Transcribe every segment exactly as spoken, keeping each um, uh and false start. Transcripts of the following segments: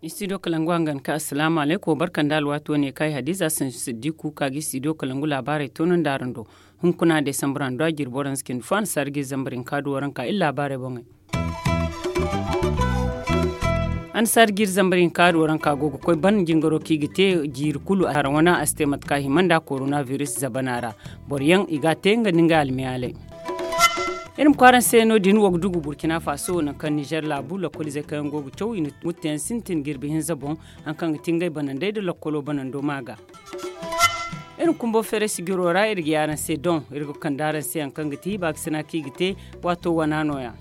Istidiyo kalangu hangan ka asalaamu alaykum barka nda alwaati wane kay hadiza sansi siddiku ka ga istidiyo kalangu laabaarey toonandi araŋ do. Hunkuna desambar hando a jirbi waranza cindi fo annasaari ga iri zambar hinka du waranka iri laabaarey boŋey. Annasaari ga iri zambar hinka du waranka go ga koy ban jingaro kaŋ i ga te jiiri kulu haraŋ wana a si te mate kaŋ a hima nda korona biris zabana ra. Boro yaŋ i ga a te nga nda ngey almiyaaley. Iri ma kwaara ni se no- din wo ga dugu burkina faso nangu kaŋ nizer laabu lakkoliizey kaŋ yaŋ go ga caw i na mutteyaŋ sintin jirbi hinza boŋ. Hari kaŋ ga ti ngey banandey nda lakkolo banando ma ga. Iri ma kumbo feeray sijiro ra iri ga ye araŋ se doŋ iri ga kande araŋ se hari kaŋ ga ti baakasina kaŋ i ga te waato wana nooya.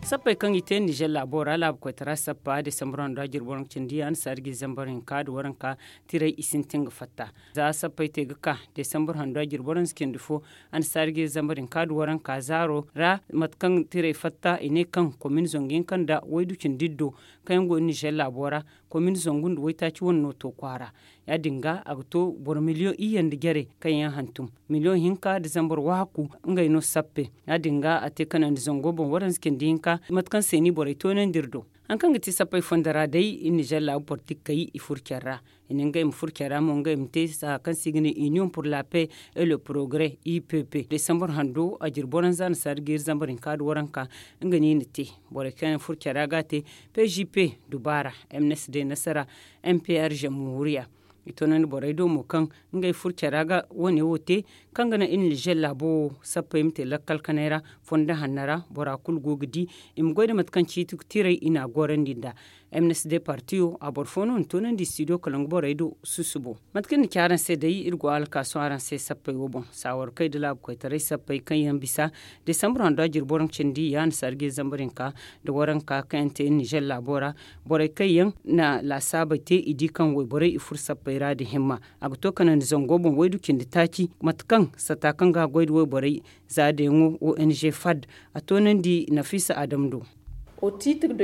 Sappey kaŋ i te nizer laabo ra laabu koytara sappa desambar hando a jirbi waranka cindi annasaari ga i zambar hinka nda waranka tirey i sintin ga fatta. Za sappey te ga ka desambar hando a jirbi waranza cindi fo annasaari ga i zambar hinka nda waranka zaaro ra mate kaŋ tirey fatta i ne kaŋ komin zangu hinka nda waydu cindi iddo kaŋ yaŋ go nizer laabo ra. Komin zangu nda waytaaci wane no to kwaara. Ya- din ga a ga to boro miliyoŋ iyye nda jare kaŋ yaŋ hantum miliyoŋ hinka nda zambar waaku ngey no sappe. Ya- din ga a te kanandi zango boŋ waranza cindi hinka mate kaŋ se ni borey toonandi iri do. Hari kaŋ ga ti sappey fondo ra day iri nizer laabu bortikey i furo care ra. I na ngey ma furo care ra mo ngey ma te saha kaŋ se i ga ne iniyoŋ pur la pe et le progrès i p p desambar hando a jirbi waranza annasaari ga iri zambar hinka nda waranka nga no i na te. Borey kaŋ yaŋ furo care ra ga a te p g p dubaara m n s d nasara m p r jamhuriya. I toonandi borey do mo kaŋ ngey furo care ra ga wane wo te kaŋ ga naŋ iri nizer laabo wo sappey ma te lakkal kanay ra fondo hanno ra bora kulu go ga di i ma goy nda mate kaŋ ciiti tirey i na a gorandi nd'a. M n s d partiyo a boro fo no na toonandi studio kalangu borey do susubo. Mate kaŋ ni ci araŋ se day iri go alkaaso araŋ se sappey wo boŋ saawar kay nda laabu koytaray sappey kaŋ yaŋ bisa desambar hando a jirbi waranka cindi ya annasaari ga i zambar hinka nda waranka kaŋ yaŋ te nizer laabo ra. Borey kaŋ yaŋ na laasaabey te i di kaŋ wayborey i furo sappey ra nda himma a ga to kanandi zango boŋ waydu cindi taaci mate kaŋ sata kaŋ ga a goy nda wayborey za deeŋo o n g fad a toonandi nafiisa adam do.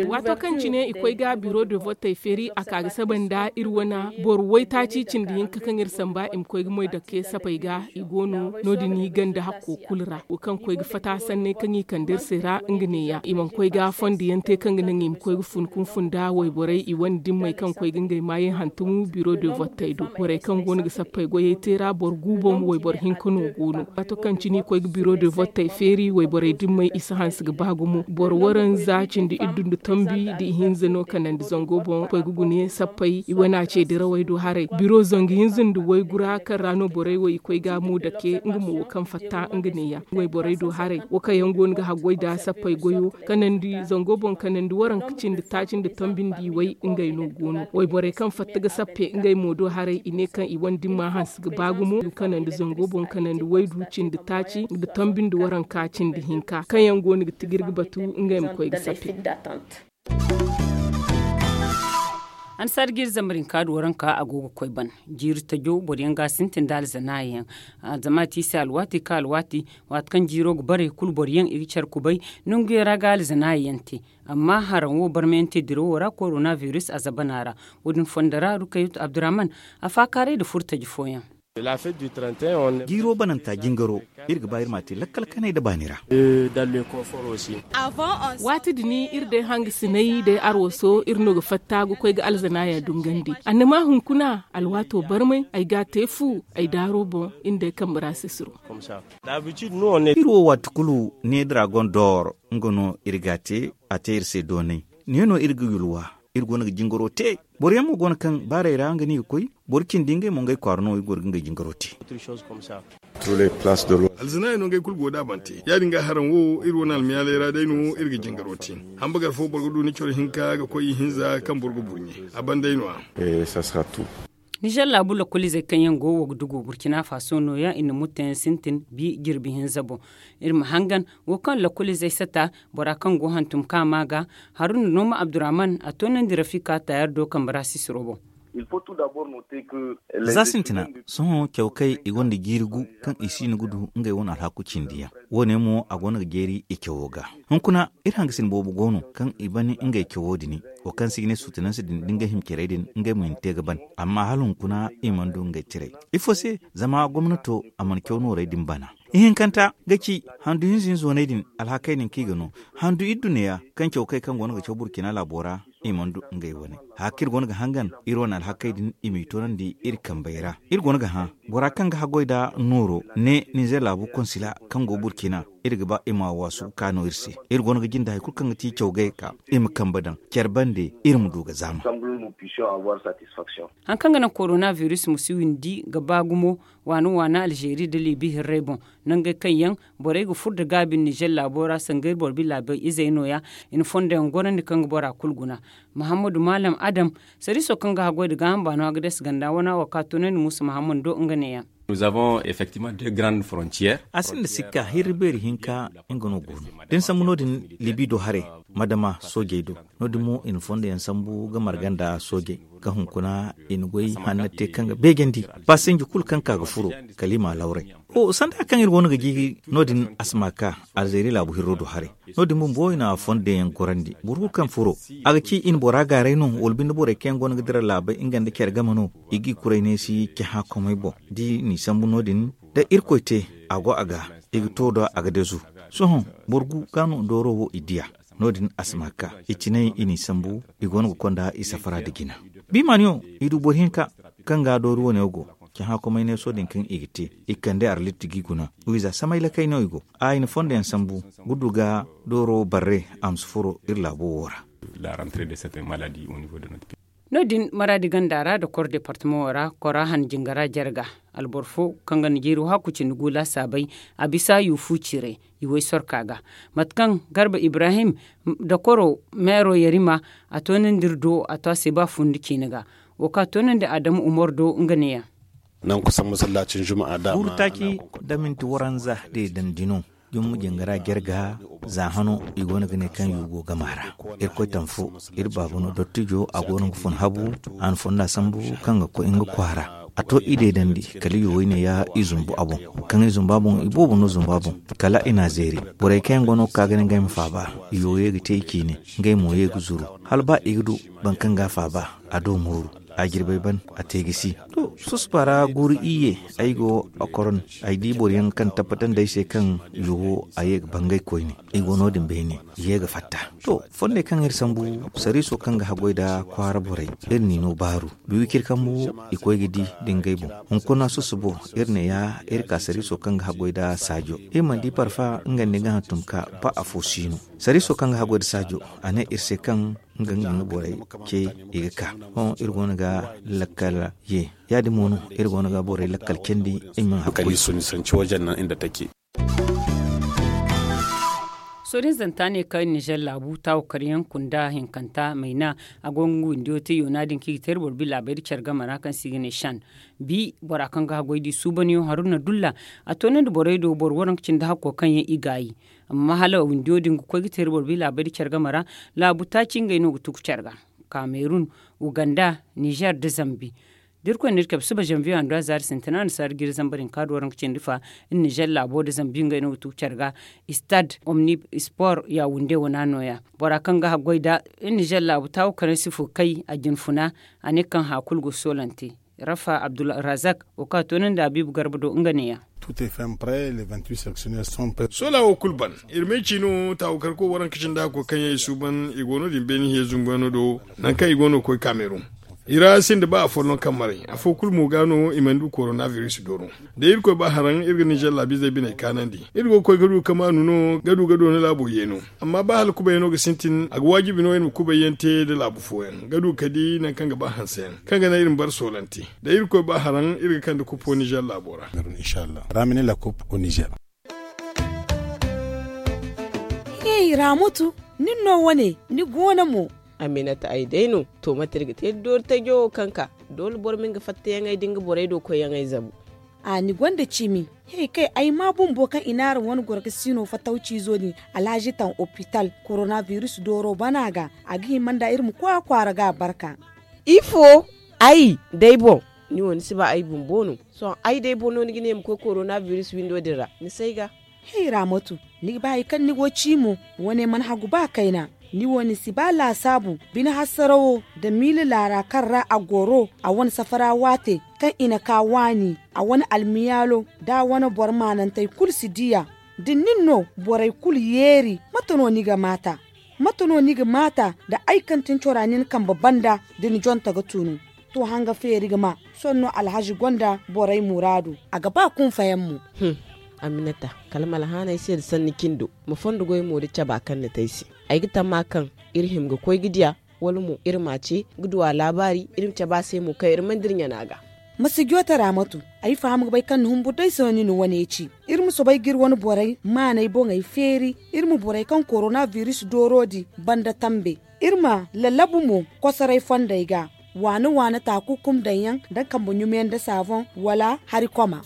Waato kaŋ cine i koy ga biro de votey feeri a ka ga saba nda iri wane boro waytaaci cindi hinka kaŋ iri samba i ma koy ga moy dake sapey ga i go no no- din i ganda hakko kulu ra wo kaŋ koy ga fata sanney kaŋ i kande iri se ra nga neeya i mana koy ga fondo yaŋ te kaŋ ga naŋ i ma koy ga fun kunfun nda wayborey i wane dimmey kaŋ koy ga ngey maayey hantumu biro de votey do borey kaŋ go no ga sappey goyey te ra boro gu boŋ wayboro hinka no go no. Waato kaŋ cine i koy ga biro de votey feeri wayborey dimmey i si hanse ga ba gumo boro waranza cindi iddu nda tombi nda ihinza no kanandi zango boŋ koy ga gune sappey i wane a ce dirawey do haray biro zangu hinza nda waygu ra kaŋ ra no borey wo i koy ga mo dake nga mo wo kaŋ fatta nga neeya wayborey do haray wo kaŋ yaŋ go no ga haggoy nda sappey goyo kanandi zango boŋ kanandi waranka cindi taaci nda tombi nda i way ngey no go no wayborey kaŋ fatta ga sappe ngey mo do haray i ne kaŋ i wane dimma hanse ga ba gumo kanandi zango boŋ kanandi waydu cindi taaci nda tombi nda waranka cindi hinka kaŋ yaŋ go no ga tijir ga batu ngey ma koy ga sappe. Annasaari ga iri zambar hinka nda waranka a go ga koy ban jiiri tajo boro yaŋ ga a sintin nda alzanaaya yaŋ. Zama a te i se alwaati ka alwaati waati kaŋ jiiro ga bare kulu boro yaŋ i ga care kubay nanguyaŋ ra ga alzanaaya yaŋ te. Amma haraŋ wo barmayaŋ te dirawo ra korona biris a zabana ra. Wo- din fondo ra rukayatu abdurrahman a faakaaray nda furo taji fooyaŋ. Jiiro bananta jingaro iri ga ba iri m'a te lakkal kanay nda baani ra. Waati din iri day hangasinay day arwaso iri no ga fatta ga koy ga alzanaaya dungandi annama hunkuna alwaato barmay ay ga a te fu ay daaro boŋ iri day kambe ra sisiro. Iri wo waati kulu ne dragon dor nga no iri ga a te a te iri se doonay ne no iri ga yulwa. Iri go no ga jingaro te boro yaŋ mo go no kaŋ baaray ra nga no i ga koy boro cindi ngey mo ngey kwaara no i go ga ngey jingaro te. Alzanaaya no ngey kulu go da bante ya- din ga haraŋ wo iri wane almiyaaley ra day no iri ga jingaro te. Hambagar fo boro ga du ni coro hinka ga koy ihinza kaŋ boro ga burɲe a banday no- ya. Nizer laabu lakkoliizey kaŋ yaŋ go wo ga dugu burkina faso nooya i na mutteyaŋ sintin bi jirbi hinza boŋ. Iri ma hangan wo kaŋ lakkoliizey sata bora kaŋ go hantum kaama ga haruna nooma abdurrahman a toonandi rafika tayar do kambe ra sisiro boŋ. Za sintina, sohõ caw kay i gonda jiiri gu kaŋ i siino ga du ngey wane alhaku cindi yaŋ. Wo- ne mo a go no ga jeeri i cawo ga. Hunkuna iri hangasin boobo go no kaŋ i ban ngey cawo din, wo kaŋ se i ga ne suutananse din da ngey hima carey din ngey mo i na te ga ban. Amma hala hunkuna i mana du ngey tiray. Ifo se? Zama gomnato a mana caw noorey din bana. Ihinkanta ga ci handu hinza hinza waney din, alhakey din kaŋ i ga no handu idduneya kaŋ caw kay kaŋ go no ga caw burkina laabo ra. I mana du ngey wane haka iri go no ga hangan iri wane alhakey din i m'i toonandi iri kambey ra. Iri go no ga hã bora kaŋ ga haggoy nda nooro ne ninzeer laabu konsila kaŋ go burkina. Iri ga ba i ma waasu ga ka no iri se. Iri go no ga jinde hari kulu kaŋ ga ti caw gay ga ka i ma kambe daŋ care bande iri ma du ga zaama. Hari kaŋ ga naŋ korona biris ma si windi ga ba gumo, waana waana alzeeri nda liibi hirrey boŋ. Nangey kaŋ yaŋ borey ga furo nda gaabi nda nizer laabo ra sanga iri boro bi laabey izey no- ya. I na fondo yaŋ gorandi kaŋ ga bora kulu guna. Mahammadu maalam adam, sariiso kaŋ ga haggoy nda gaaham baano a ga deesi ganda wana wo ka toonandi muusa mahammadu do nga ne- yaŋ. A sinda sikka hirri beeri hinka nga no go no da ni sambu no- din. Liibi do haray ma dama soojey do. No- din mo i na fondo yaŋ sambu ga marga nda soojey ga hunkuna i na goy hanna te kaŋ ga beejandi. Pasinji kulu kaŋ ka ga furo kala i m'a lawray. Sanda hari kaŋ iri go no ga jiiri no- din a si ma ka alzeeri laabu hirro do haray. No- din bumbo i na fondo yaŋ gorandi boro kulu kaŋ furo a ga ci i na bora gaaray no wala binde borey kaŋ yaŋ go no ga dira laabey nga nda care game no. I ga i kuray neesi cahã komey boŋ da i n'i sambu no- din da irkoy te a go a ga i ga to da a ga deezu. Sohõ boro gu ga no dooro wo i diya. No- din a si ma ka i cinay i n'i sambu i go no ga konda i safara nda jina. Bimaaniyo i du boro hinka kaŋ ga doori wane wo go cahã komey neeso din kaŋ i ga te i kande arlit ga i guna. Wiiza samay lakay no i go a i na fondo yaŋ sambu ga du ga dooro barre a ma si furo iri laabo wo ra. No- din maraadi ganda ra nda koro departamaŋo ra kora han jingara jarga. Alboro fo kaŋ ga na jiiri wahakku cindi gu laasaabey a bisa yuufu ciiray i way sorka ga. Mate kaŋ garba ibrahim nda koro meero yarima a toonandi iri do a to a se ba fundi ciine ga. Wo kaŋ a toonandi adamu umar do nga ne- yaŋ. Nangu kusan masallacin juma'a dama guuru taaci nda minti waranza deedandi no. Jumma jingara jarga za hano i go no ga ne kaŋ yuugo gama ra. Irkoy taŋ fo iri baaba no dottijo a go no ga fun habu. A na fonda sambu kaŋ ga koy nga kwaara a to i deedandi kala i wo i ne ya i zumbu a boŋ. Kaŋ i zumbu a boŋ i boobo no zumbu a boŋ kala i n'a zeeri. Borey kaŋ yaŋ go no ga ka ga ne ngey ma faaba i wo ye ga te i ciine. Ngey mo ye ga zuru hala ba i ga du boro kaŋ ga a faaba a do mooru. A jirbey ban a te gisi. To susba ra guuru iyye ay go a koron ay di boro yaŋ kaŋ tabbatandi ay se kaŋ yuwo a ye ga bangay koyne. I go no- din beene i ye ga fatta. To fondey kaŋ iri sambu sariiso kaŋ ga haggoy nda kwaara borey iri n'i no baaru. Biwicir kambu i koy ga di nda ngey boŋ. Hunkuna susubo iri ne ya iri ka sariiso kaŋ ga haggoy nda saajo iri mana di parfa nga nda nga hantum ka ba afo si no. Sariiso kaŋ ga haggoy nda saajo a ne iri se kaŋ nga nga nga borey ce i ga ka. Hõ iri go no ga lakkal ye ya- din mo no iri go no ga borey lakkal candi. Iri ma hakkuri. Soodin zanta ne kaŋ nizer laabu taawo karyaŋ kunda hinkanta mayna a go nga windiyo te yoona din kaŋ i ga te iri boro bi laabey da care game ra kaŋ se i ga ne shan. Bi bora kaŋ ga haggoy di suubanyaŋo haruna dulla a toonandi borey do boro waranka cindi hakko kaŋ yaŋ i gaayi. Amma hala windiyo din ga koy ga te iri boro bi laabey da care game ra. Laabu taaci ngey no ga tugu care ga kamerun, uganda, nizer nda zambi. Da iri koy no iri kabe suba zanviyo handu a zaari sintina nda saari jiiri zambar hinka do waranka cindi fa. Iri nizer laabo nda zambi ngey no ga tugu care ga. Istad omni sport ya wunde wana no- ya bora kaŋ ga haggoy nda iri nizer laabu taawo kaŋ ay si fo kay a jinfuna. A ne kaŋ haya kulu go soolante. Rafa abdulrazak wo kaŋ a toonandi habiibu garba do nga ne- ya. Sola wo kulu ban. Iri ma ay ci no taawo karko waranka cindi hakko kaŋ yaŋ i suuban i go no- din beene hiya zumbuyaŋo do. Nangu kaŋ i go no ga koy kamerun. I ra sinda ba afolloŋ kaŋ maray afo kulu mo ga no i mana du korona biris dooro. Da irkoy ba haraŋ iri ga nizer laabiizey biney kaanandi. Iri go ga koy ga du kamaanu no ga du ga doona laabo yeeno. Amma ba hala kubayyaŋo ga sintin a ga waajibi no iri ma kubayyaŋ te nda laabu fooyaŋ ga du ga di nangu kaŋ ga ba hanseyaŋ kaŋ ga naŋ iri ma bare soolante. Da irkoy ba haraŋ iri ga kande kupo nizer laabo ra. Hey ramutu, nin no wane ni goono mo? Aminata ay day no. To mate iri ga te iri doori tajo wo kaŋ ka doole boro ma nga fattayaŋey da nga borey do koyyaŋey zabu. A ni gonda cimi? He kay ay ma bumbo kaŋ i naara wane goro ga siino fatawciizo din alhazi taŋ opital korona biris dooro bana ga. A ga hima nda iri ma koy a kwaara ga a barka. Ifo? Ay day boŋ, ni wo ni si ba ay bumbo no. Sohõ ay day boŋ no ni ga ne ma koy korona biris windo din ra ni si ay ga. Hey raamatu, ni ga ba hari kaŋ ni go ci mo? Wane mana hagu ba kayna. Ni wo ni si ba laasaabu bine hassarawo nda miila laara kaŋ ra a goro a wane safara waate kaŋ i na ka waani a wane almiyaalo da a wane boro maanantey kulu si diya. Da nin no borey kulu yeeri, mate no ni ga maata? Mate no ni ga maata da ay kaŋ tin cora nin kambe banda da ni jonta ga tunu? To hanga feeri ga ma. Sohõ no alhazi gonda borey muraadu. A ga ba kunfayaŋ mo. Aminata, kala ma alhaanay se nda sanni cindo, ma fondo goy mo da caba kaŋ ni te ay se. Ay ga tamma kaŋ iri hima ga koy ga diya, wala mo iri ma a ce ga du a laabaari, iri ma cabe a se mo kaŋ iri mana dira ɲana ga. Ma si joote raamatu. Ay faham ga bay kaŋ ni humbur day se no ni na wane ci. Iri ma soobay ga iri wane borey maanay boŋey feeri. Iri ma borey kaŋ korona biris dooro di banda tambe. Iri ma lallabu mo kosoray fondey ga. Waana waana taaku kum daŋ yaŋ da kambe ɲumiyaŋ da saaboŋ wala hari koma.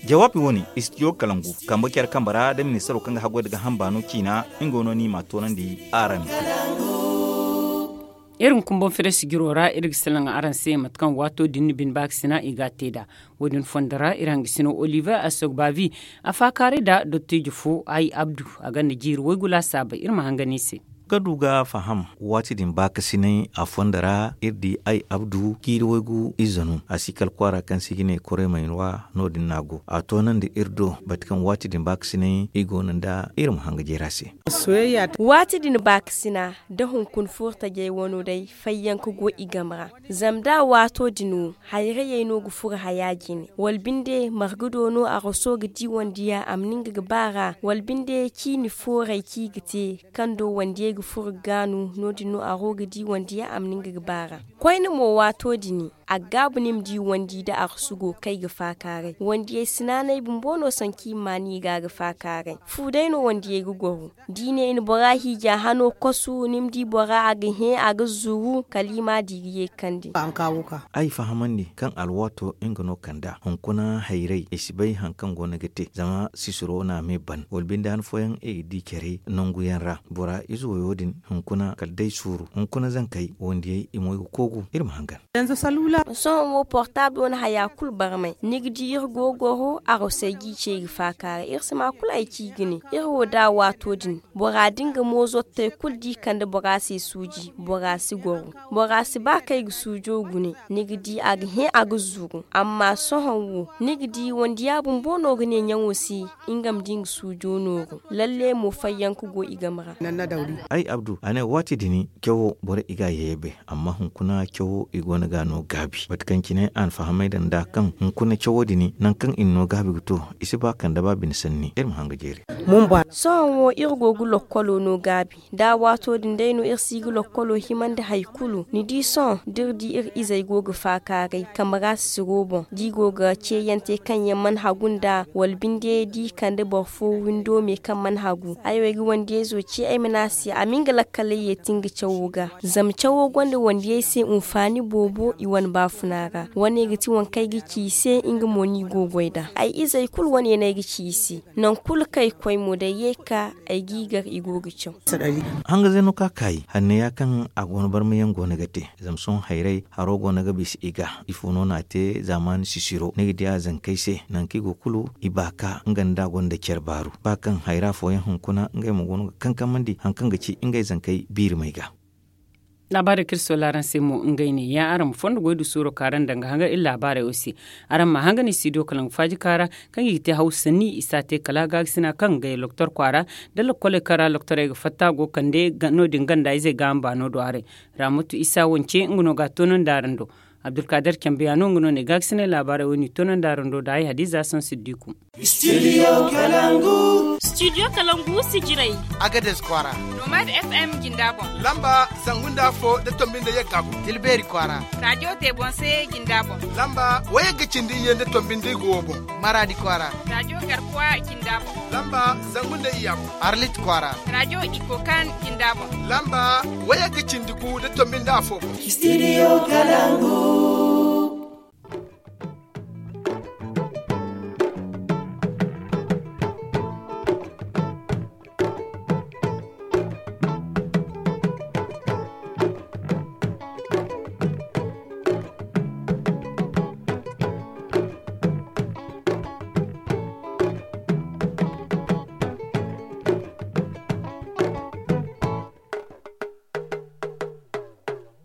Jawaabi wo-ne, istidiyo kalangu kambe care kambe ra da ministaro kaŋ ga haggoy nda gaaham baano ciina. Nga no ni m'a toonandi araŋ. Iri hunkuna boŋ fere sijiro ra iri ga salaŋ araŋ se mate kaŋ waato din ni bine baakasina i ga a te nd'a. Wo-din fondo ra iri hangasino oliver asogbavi a faakaaray nda dottijo fo ay abdu a gonda jiiri waygu laasaabey iri ma hangan i se. Ga du ga faham waati din baakasinay a fondo ra iri di ay abdu jiiri waygu ize no a si kala kwaara kaŋ se i ga ne koremayra no-din no a go a toonandi iri do mate kaŋ waati din baakasinay i go no nda iri ma hanga jeera se. Waati din baakasina da hunkuna furtajey wano day fayyanka go i game ra. Zama da waato din wo hayrayey no ga furo haya jine wala binde marga do no araso ga di wande yaŋ a ma ni nga ga ba ra wala binde ciini fooray kaŋ i ga te kaŋ do wandiyey ga furo ga gaanu no- din no aro ga di wande yaŋ a ma ni nga ga ba ra. Koyne mo waato din a ga gaabu ni ma di wandi nda arasu go kaŋ i ga faakaaray wandiyey si naanay bumbo no sanku i ma maan i ga a ga faakaaray fu day no wandiyey ga goro. Da i ne i na bora hiija hano kosu ni ma di bora a ga hẽ a ga zuru kala i ma a di ga ye ga kande. Ay fahamandi kaŋ alwaato nga no kand'a hunkuna hayray i si bay hari kaŋ go no ga te zama sisiro no a me ban wala binde han fooyaŋ i ga di care nangu yaŋ ra bora ize wayo din hunkuna kala day suuru hunkuna zankey wandiyey i mo i ga koogu iri ma hangan. Sohõ wo portable wane haya kulu barmay ni ga di iri go ga goro arosey g'i ce i ga faakaaray iri si ma kulu hari ci i ga ne iri wo da waato din bora da nga moozottey kulu da i kande bora se suuji bora si goro. Bora si ba kaŋ i ga suujo gune ni ga di a ga hẽ a ga zuru amma sohõ wo ni ga di wandiya bumbo no ga ne ɲaŋo se nga ma di nga suujo nooru lalle mo fayyanka go i game ra. Ay abdu a ne waati din cawo borey i ga a yeebe amma hunkuna cawo i go no ga a no gaabi mate kaŋ cine a na fahamay daŋ nd'a kaŋ hunkuna cawo din nangu kaŋ i na no gaabi ga to i si ba kande ba bine sanni iri ma hanga jeeri. Sohõ wo iri go ga lokkolo no gaabi da waato din day no iri si ga lokkolo himandi hari kulu ni di sohõ da iri di iri izey go ga faakaaray kambe ra sisiro boŋ da i go ga ceeyaŋ te kaŋ yaŋ mana hagu nd'a wala binde da i kande boro fo windo me kaŋ mana hagu ay wo ay ga wandiyayzo ce ay ma ne a se a ma nga lakkaley yeeti nga cawo ga zama cawo gonda wandiyey se hunfaani boobo i wane baafuna ra wane ga ti waŋ kaŋ ay ga ci i se nga mo no i go ga goy nd'a ay izey kulu wane no ay ga ci i se. Nangu kulu kaŋ ay ga koy mo da ay ye ga ka ay g'i gar i go ga caw. Hanga zeno ka kaayi hanneya kaŋ a go no barmayaŋ go no ga te zama sohõ hayray haro go no ga bisa i ga ifo no no a te zaamaani sisiro ni ga di a zankey se nangu kaŋ i go kulu i baaka nga nda gonda care baaru ba kaŋ hayra fooyaŋ hunkuna ngey mo go no ga kankamandi hari kaŋ ga ci ngey zankey biirimey ga. Laabaarey kaŋ iri soola araŋ se mo ngey ne ya araŋ ma fondo goy du suuro kaara nda nga hangan iri laabaarey wo se. Araŋ ma a hangan i si do kala nga faaji kaara kaŋ i ga te hawsa sanni i si a te kala gaagasi no a kaŋ ga gay loktor kwaara nda lokkoley kaŋ ra loktorey ga fatta go ga kande no- din ganda izey gaaham baano do haray. Raamatu isa wance nga no ga a toonandi araŋ do. Abdulkaadir cambe yaŋ no nga no ne gaagasiney laabaarey wo- din i toonandi araŋ do nda ay hadiza sohõ siddiku. Studio kalangu sijirey. Agades kwaara. Nomad f m jinda boŋ. Lamba zangu nda afo da tombi nda yagga gu. Tilbeeri kwaara. Radiyo teebonse jinda boŋ. Lamba wayagga cindi iyye nda tombi nda igu wo boŋ. Maraadi kwaara. Radiyo garkuwa jinda boŋ. Lamba zangu nda iyya boŋ. Arlit kwaara. Radiyo ikokan jinda boŋ. Lamba wayagga cindi gu nda tombi nda afo boŋ. Studio kalangu.